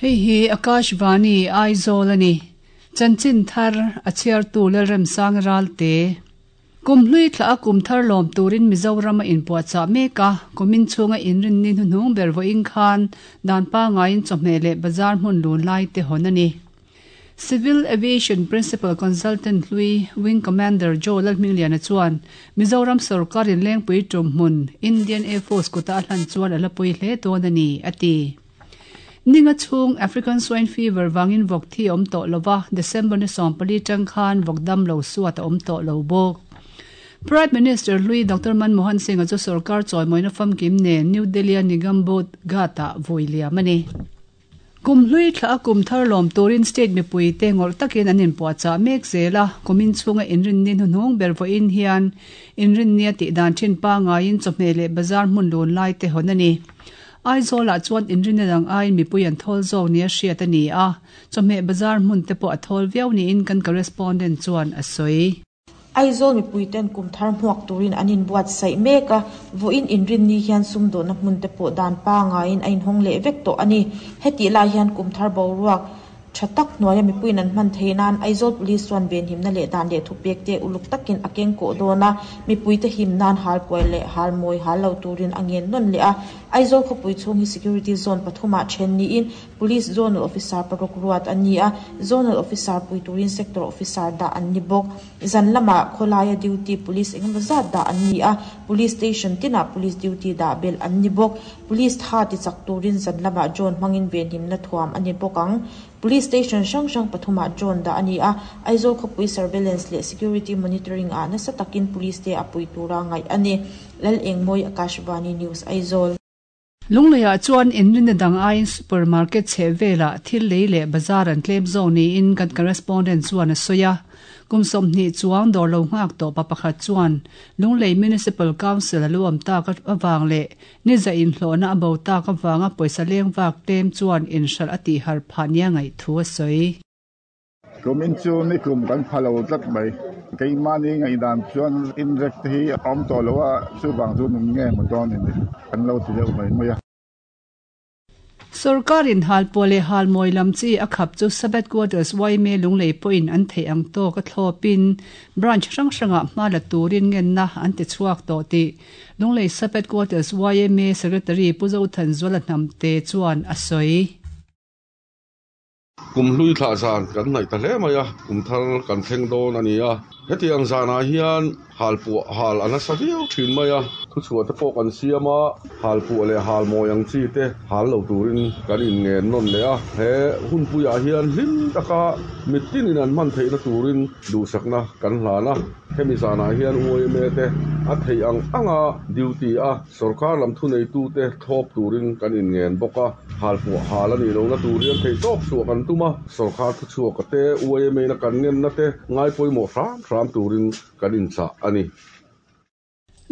Hei hi Akashvani Aizawl a ni. Chanchin thar a chhiartu Lalremsang Ralte. Kum hlui thla a kum thar lawm turin Mizoram a inpuahchah mek a, kumin chhunga inrinni hnuhnung ber vawiin khan dan pangaiin chawhmeh leh bazar hmun lun lai te hawn a ni. Civil Aviation Principal Consultant hlui Wing Commander Joe Lalhmingliana chuan Mizoram sawrkarin Lengpui tum hmun Indian Air Force kuta a hlan chuan a la pui hle dawn a ni, a ti. Ninga chhung African Swine Fever vangin vawk thi a awm tawh lo va, December ni 14 tang khan vawk dam lo suat a awm tawh lo bawk. Prime Minister hlui Doctor Manmohan Singh-a chu sawrkar chawimawina famkim nen New Delhi-a Nigambodh Ghat-ah vui liam a ni. Kum hlui thla a kum thar lawm turin state mipuite ngawrh takin an inpuahchah mek zel a, kumin chhunga inrinni hnuhnung ber vawiin hian inrinnia tih dan thin pangaiin chawhmeh leh bazar hmun lun lai te hawn a ni. Aizawlah chuan inrinna dang aiin mipui an thawl zawk nia hriat a ni a, chawhmeh bazar hmun te pawh a thawl viau niin kan correspondent chuan a sawi. Aizawl mipuiten kum thar hmuak turin an inbuatsaih mek a, vawiin inrinni hian sumdawhna hmun te pawh dan pangaiin a inhawng leh vek tawh a ni. Hetih lai hian kum thar boruak tha tak hnuaia mipuiin an hman theih nan Aizawl Police chuan venhimna leh dan leh thupek te uluk takin a keng kawh dawn a, mipuite him nan hal puai leh hal mawi hal lo turin a ngen nawn leh a. Aizawl khawpui chhung hi Security Zone pathumah then niin Police Zonal Officer paruk ruat an ni a, Zonal Officer pui turin Sector Officer dah an ni bawk. Zan lamah khawlaia duty Police engemaw zat dah an ni a, Police Station tinah Police duty dah belh an ni bawk. Police tha ti chak turin zan lamah drone hmangin venhimna thuam a ni bawk ang. Police Station hrang hrang pathumah drone dah a ni a, Aizawl khawpui Surveillance leh Security Monitoring ah nasa takin Police te a pui tura ngaih a ni. Lalengmawi Akashvani News Aizawl. Lungleiah chuan inrinna dang aiin supermarket chheh velah thil lei leh bazar an tlem zawk niin kan correspondent chuan a sawi a. Kum 20 chuang dawr lo nghak tawh pa pakhat chuan Lunglei Municipal Council a lo awm tak avang leh ni za inhlawhna a bo tak avanga pawisa leng vak tlem chuan inhralh a tihharh phah nia ngaih thu a sawi. Kumin chu nikum kan pha lo tlat mai. Keimahni ngaihdan chuan inrek te hi a awm tawh lo a, chuvang chu nung nge maw dawn in kan lo ti deuh mai mai a. Sorkarin halpuah leh halmawi lam chi a khap chu Sabbath Quarters yma Lunglei pawhin an theih ang tawk a thlawpin branch hrang hrangah hma la turin ngenna an ti chhuak tawh tih Lunglei Sabbath Quarters yma Secretary Pu Zothanzuala Hnamte chuan a sawi. Kum hlui thlah zan kan hnaih ta hle mai a, kum thar kan thleng dawn a ni a. Hetiang zanah hian halpuah hal a nasa viau thin mai a, thuchhuah te pawh kan siam a, halpuah leh halmawi ang chi te hal lo turin kan inngen nawn leh a. He hunpuiah hian hlim taka mittinin an hman theihna turin duhsakna kan hlan a. Hemi zanah hian YMA te a theih ang anga duty a Sorkar lam thuneitute thlawp turin kan inngen bawk a, halpuah hal a nih lohna tur hian theihtawp chhuah kan tum a, sorkar thuchhuaka te, YMA-na kan ngenna te ngai pawimawh hram hram turin kan inchah a ni.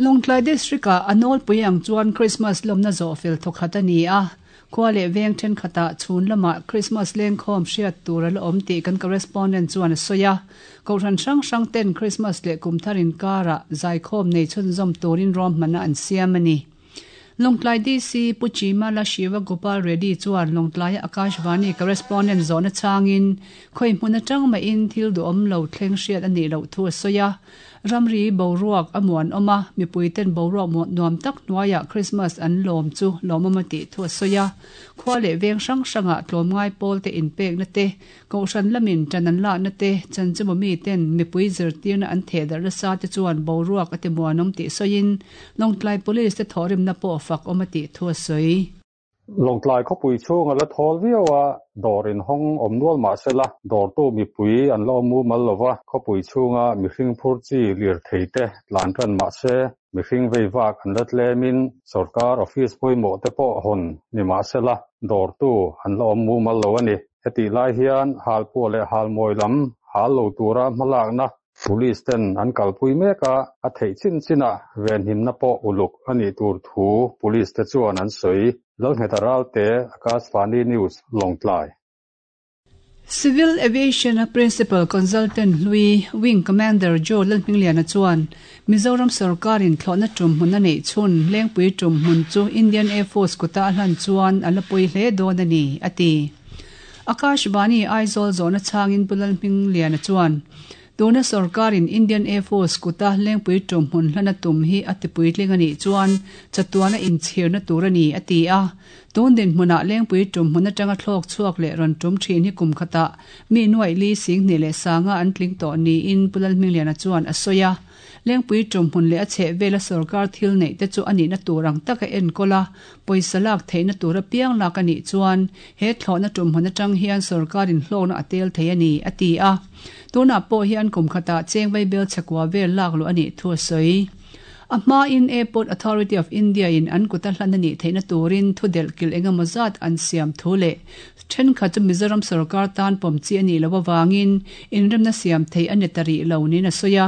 Lawngtlai District-ah a nawlpui ang chuan Krismas lawmna zawhfel thawkhat a ni a, khua leh veng thenkhatah chhun lamah Krismas lengkhawm hriat tur a la awm tih kan correspondent chuan a sawi a. Kohhran hrang hrang ten Krismas leh kum thar inkarah zaikhawm nei chhunzawm turin ruahmanna an siam a ni. Lawngtlai DC Pu Chimala Shiva Gopal Reddy chuan Lawngtlaia Akashvani correspondent zawhna changin khawi hmun atang mahin thil duhawm lo thleng hriat a nih loh thu a sawi a. Ramri boruak a muanawm a, mipuiten boruak nuam tak hnuaiah Krismas an lawm chu lawmawm a tih thu a sawi a. Khua leh veng hrang hrangah tlawmngai pawlte inpekna te, Kohhran lamin ṭan an lakna te, chanchinbu miten mipui zirtirna an thehdarh nasa te chuan boruak a ti muanawm tih sawiin Lawngtlai Police te thawhrimna pawh fak awm a tih thu a sawi. Lawngtlai khawpui chhung a la thawl viau a, dawr inhawng awm nual mah sela, dawrtu mipui an la awm mumal lo va, khawpui chhunga mihring phur chi lirthei te tlan ṭan mah se, mihring vei vak an la tlemin sawrkar office pawimawh te pawh hawn ni mah sela, dawrtu an la awm mumal lo a ni. Hetih lai hian halpuah leh halmawi lam hal lo tura hmalakna Police ten an kalpui mek a, a theih chin chinah venhimna pawh uluk a nih tur thu Police te chuan an sawi. Lalngheta Ralte, Akashvani News, Lawngtlai. Civil Aviation a Principal Consultant hlui Wing Commander Joe Lalhmingliana chuan Mizoram sawrkarin thlawhna tum hmun a neih chhun Lengpui tum hmun chu Indian Air Force kuta a hlan chuan a la pawi hle dawn a ni, a ti. Akashvani Aizawl zawhna chhangin Pu Lalhmingliana chuan, Tuna sorkarin Indian Air Force kuta Lengpui tumhmun hlana tum hi a tipuitling a nih chuan chatuana inchhirna tur a ni, a ti a. Tun dinhmunah Lengpui tumhmun atanga thlawk chhuak leh rawn tum thin hi kum khatah mi nuaih li singhnih leh sanga an tling tawh niin Pu Lalhmingliana chuan a sawi a. Lengpui tumhmun leh a chhehvela sorkar thil neih te chu a nihna tur ang taka enkawl a, pawisa lak theihna tur apiang lak a nih chuan he thlawhna tumhmun atang hian sorkarin hlawkna a tel thei a ni, a ti a. Tunah pawh hian kum khatah cheng vaibel chhekua vel lak luh a nih thu a sawi. A hmain Airport Authority of India-in an kuta hlan a nih theihna turin thu delh kilh eng emaw zat an siam thu leh thenkhat chu Mizoram sorkar tan pawm chi a nih loh avangin inremna siam theih a ni ta rih lo niin a sawi a.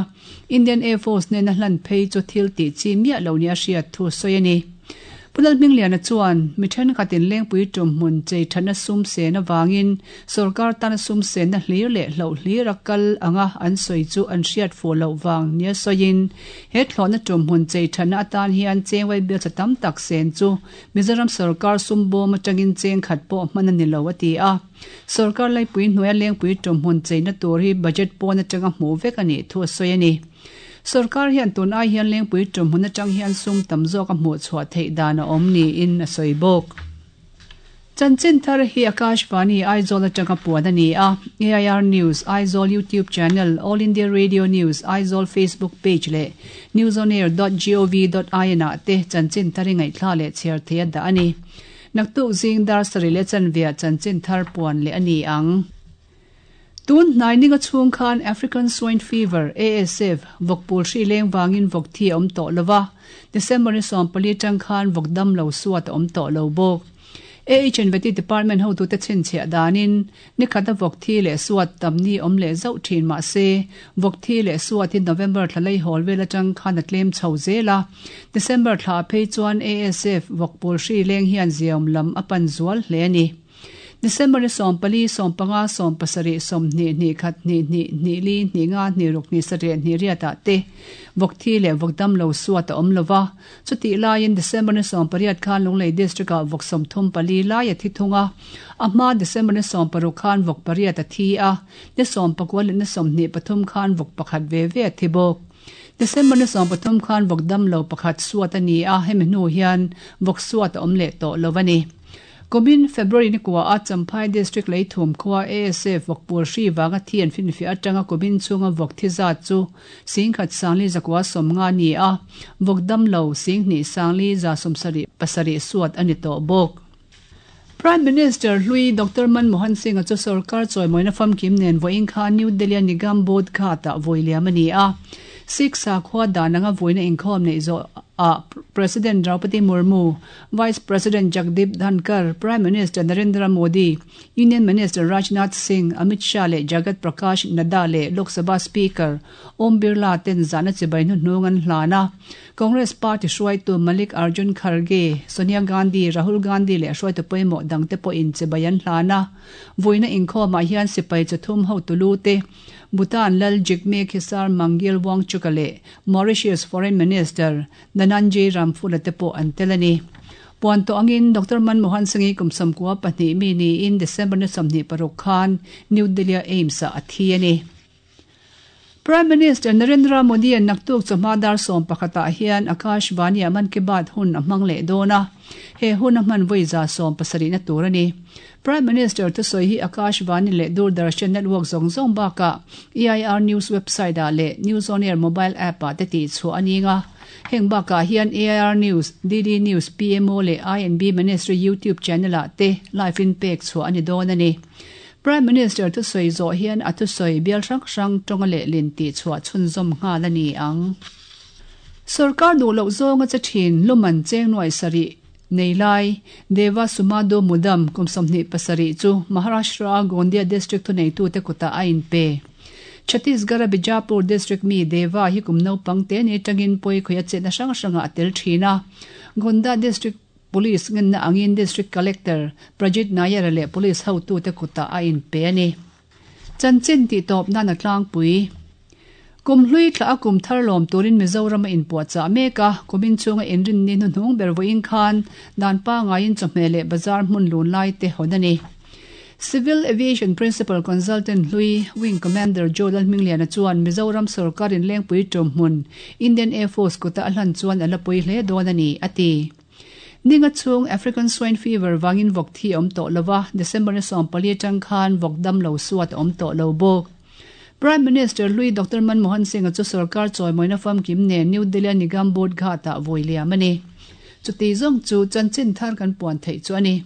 Indian Air Force nena hlan phei chu thil tih chi miah lo nia hriat thu a sawi a ni. Pu Lalhmingliana chuan, mi thenkhatin Lengpui tumhmun chei thatna sum sen avangin sorkar tana sum senna hlir leh hloh hlir a kal anga an sawi chu an hriat fuh loh vang nia sawiin, he thlawhna tumhmun chei thatna atan hian cheng vaibelcha tam tak sen chu Mizoram sorkar sum bawm atangin cheng khat pawh hman a ni lo a ti a. Sorkar laipui hnuaia Lengpui tumhmun cheina tur hi budget pawn atanga hmuh vek a nih thu a sawi a ni. Sorkar hian tun ai hian Lengpui tumhmun atang hian sum tam zawk a hmuh chhuah theih dan a awm niin a sawi bawk. Chanchin thar hi Akashvani Aizawl atanga puan a ni a, AIR News Aizawl YouTube channel, All India Radio News Aizawl Facebook page leh newsonair.gov.in ah te chanchin thar hi ngaihthla leh chhiar thei a dah a ni. Naktuk zing dar sarih leh chanveah chanchin thar puan leh a ni ang. Tun hnai ninga chhung khan African Swine Fever, ASF, vawkpul hri leng vangin vawk thi a awm tawh lo va, December ni 14 atang khan vawk dam lo suat a awm tawh lo bawk. AHNVT Department hotute chhinchhiah danin nikhat a vawk thi leh suat tam ni awm leh zauh thin mah se, vawk thi leh suat hi November thla lei hawl vel atang khan a tlem chho zel a. December thla phei chuan ASF vawkpul hri leng hian ziaawm lam a pan zual hle a ni. December ni 14, 15, 17, 20, hnih khat, hnih hnih, hnih li, hnih nga, hnih ruk, hnih sarih, hnih riat ah te vawk thi leh vawk dam lo suat a awm lo va. Chutih laiin December ni 18 khan Lunglei District ah vawk 34 lai a thi thung a. A hma December ni 16 khan vawk pariat a thi a, ni 19 leh ni 23 khan vawk pakhat ve ve a thi bawk. December ni 13 khan vawk dam lo pakhat suat a ni a, hemi hnu hian vawk suat a awm leh tawh lo a ni. Kumin February ni kua a Champhai District Leithum khua ASF vawkpul hri vanga thi an finfiah atanga kumin chhunga vawk thi zat chu singkhat sangli zakua sawmnga a ni a, vawk damlo singhnih sangli za sawmsarih pasarih suat a ni tawh bawk. Prime Minister hlui Doctor Manmohan Singh-a chu sorkar chawimawina famkim nen vawiin kha New Delhi-a Nigam Bodh Ghat-ah vawi liam a ni a. Sikh sakhua dan anga vawiina inkhawm neih zawh ah President Draupadi Murmu, Vice President Jagdeep Dhankhar, Prime Minister Narendra Modi, Union Minister Rajnath Singh, Amit Shah leh Jagat Prakash Nadda leh Lok Sabha Speaker Om Birla ten zahna chibai hnuhnung an hlan a. Congress Party hruaitu Malik Arjun Kharge, Sonia Gandhi, Rahul Gandhi leh hruaitu pawimawh dangte pawhin chibai an hlan a. Vuina inkhawmah hian sipai chathum hotu lu te, Bhutan Lal Jigme Khesar Mangyal Wangchuka leh Mauritius Foreign Minister Dhananjay Ramphula te pawh an tel a ni. Puan tawh angin Doctor Manmohan Singh-i kum 92 mi niin December ni 26 khan New Delhi-a AIIMS-ah a thi a ni. Prime Minister Narendra Modi-a'n naktuk chawhma dar 11 ah hian Akashvani-ah Mann Ki Baat hun a hmang leh dawn a, he hun a hman vawi za 70 na tur a ni. Prime Minister thusawi hi Akashvani leh Doordarshan network zawng zawng bakah EIR News website ah leh News On Air mobile app ah te tih chhuah a ning a. Heng bakah hian AIR News, DD News, PMO leh I&B Ministry YouTube channel ah te live in pek chhuah a ni dawn a ni. Prime Minister thusawi zawh hian a thusawi bial hrang hrang tawnga lehlin tih chhuah chhunzawm nghal a ni ang. Sorkar duh loh zawnga che thin luman cheng nuai sarih Nei lai, Deva Sumado Mudam kum 27 chu Maharashtra-a Gondia District thuneitute kutah a inpe. Chhattisgarh-a Bijapur District mi Deva hi kum naupang te ni atangin pawi khawih a chetna hrang hrangah a tel thin a. Gonda District Police ngenna angin District Collector Prajit Nayar-a leh Police hotute kutah a inpe a ni. Chanchin tih tawp nan a tlangpui. Kum hlui thlah a kum thar lawm turin Mizoram a inpuahchah mek a, kumin chhunga inrinni hnuhnung ber vawiin khan dan pangaiin chawhmeh leh bazar hmun lun lai te hawn a ni. Civil Aviation Principal Consultant hlui Wing Commander Joe Lalhmingliana chuan Mizoram sorkarin Lengpui ṭawmhmun Indian Air Force kuta a hlan chuan a la pui hle dawn a ni, a ti. Ninga chhung African Swine Fever vangin vawk thi a awm tawh lo va, December ni 14 atang khan vawk dam lo suat a awm tawh lo bawk. Prime Minister hlui Doctor Manmohan Singh-a chu sorkar chawimawina famkim nen New Delhi-a Nigam Bodh Ghat-ah vawi liam a ni. Chuti zawng chu chanchin thar kan puan theih chu a ni.